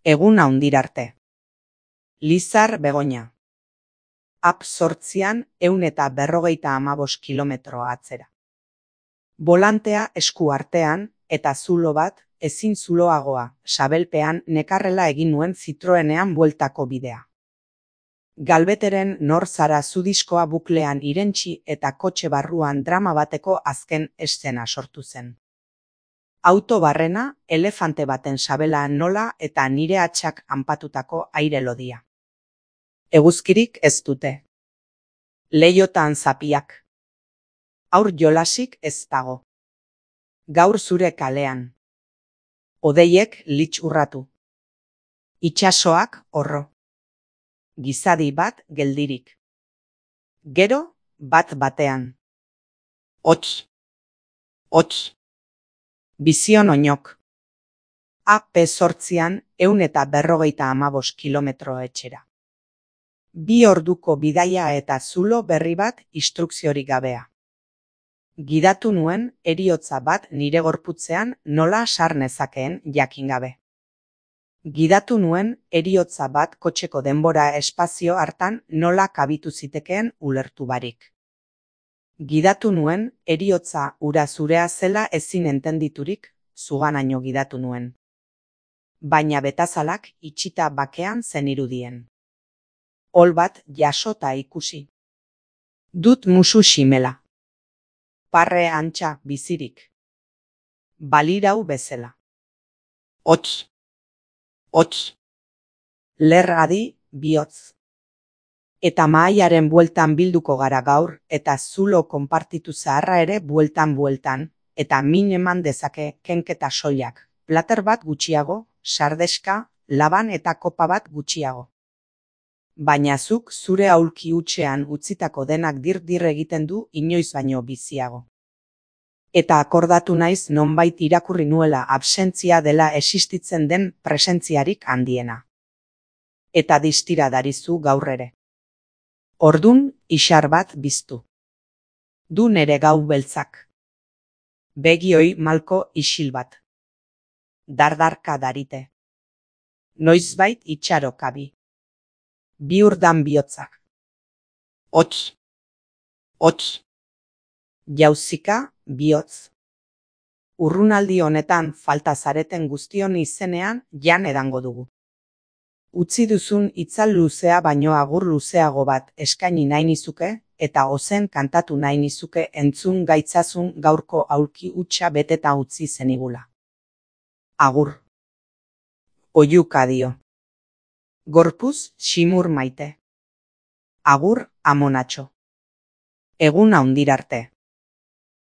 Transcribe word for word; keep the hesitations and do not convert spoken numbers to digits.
Eguna hundirarte. Lizar Begoña. Ap zortzian ehun eta berrogeita hamabost kilometro atzera. Bolantea esku artean eta zulo bat ezin zuloagoa sabelpean nekarrela egin nuen Citroenean bueltako bidea. Galbeteren nor zara zudiskoa buklean irentsi eta kotxe barruan drama bateko azken eszena sortu zen. Auto barrena, elefante baten sabela nola eta nire atxak anpatutako aire lodia. Eguzkirik ez dute. Leiotan zapiak. Aur jolasik ez dago. Gaur zure kalean. Odeiek litz urratu. Itsasoak horro. Gizadi bat geldirik. Gero, bat batean. Hots. Hots. Bizion oinok. Ap zortzian ehun eta berrogeita hamabost kilometro etxera. Bi orduko bidaia eta zulo berri bat instrukziorik gabea. Gidatu nuen heriotza bat nire gorputzean nola sar nezakeen jakin gabe. Gidatu nuen heriotza bat kotxeko denbora espazio hartan nola kabitu zitekeen ulertu barik. Gidatu nuen heriotza ura zurea zela ezin entenditurik, zuganaino gidatu nuen. Baina betazalak itxita bakean zen irudien. Ol bat jasota ikusi. Dut musu ximela. Parre antxa bizirik. Balirau bezala. Hots. Hots. Lerradi bihotz. Eta mahaiaren bueltan bilduko gara gaur, eta zulo konpartitu zaharra ere bueltan-bueltan, eta min eman dezake kenketa soilak, plater bat gutxiago, sardeska, laban eta kopa bat gutxiago. Baina zuk zure aulki hutsean utzitako denak dir-dir egiten du inoiz baino biziago. Eta akordatu naiz nonbait irakurri nuela absentzia dela existitzen den presentziarik handiena. Eta distira darizu gaur ere. Ordun isar bat biztu. Du nere gau beltzak. Begioi malko isil bat. Dardarka darite. Noizbait itxaro kabi. Biurdan bihotzak. Hots. Hots. Jauzika bihotz. Urrunaldi honetan falta zareten guztion izenean jan edango dugu. Utzi duzun itzal luzea baino agur luzeago bat eskaini nahi nizuke, eta ozen kantatu nahi nizuke entzun gaitzazun gaurko aulki hutsa beteta utzi zenigula. Agur. Oihuka dio. Gorpuz ximur maite. Agur amonatxo. Eguna hundirarte.